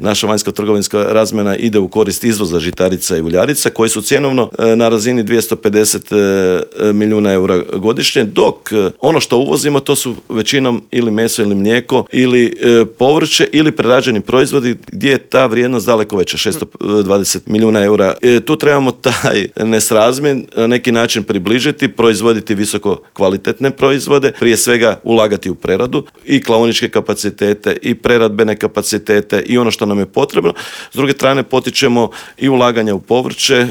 naša vanjsko-trgovinska razmjena ide u korist izvoza žitarica i uljarica koji su cjenovno na razini 250 milijuna eura godišnje, dok ono što uvozimo to su većinom ili meso ili mlijeko ili povrće ili prerađeni proizvodi gdje je ta vrijednost daleko veća, 620 milijuna eura. Tu trebamo taj nesrazmjer na neki način približiti, proizvoditi visoko kvalitetne proizvode, prije svega ulagati u preradu i klaoničke kapacitete i preradbene kapacitete i ono što nam je potrebno. S druge strane potičemo i ulaganja u povrće,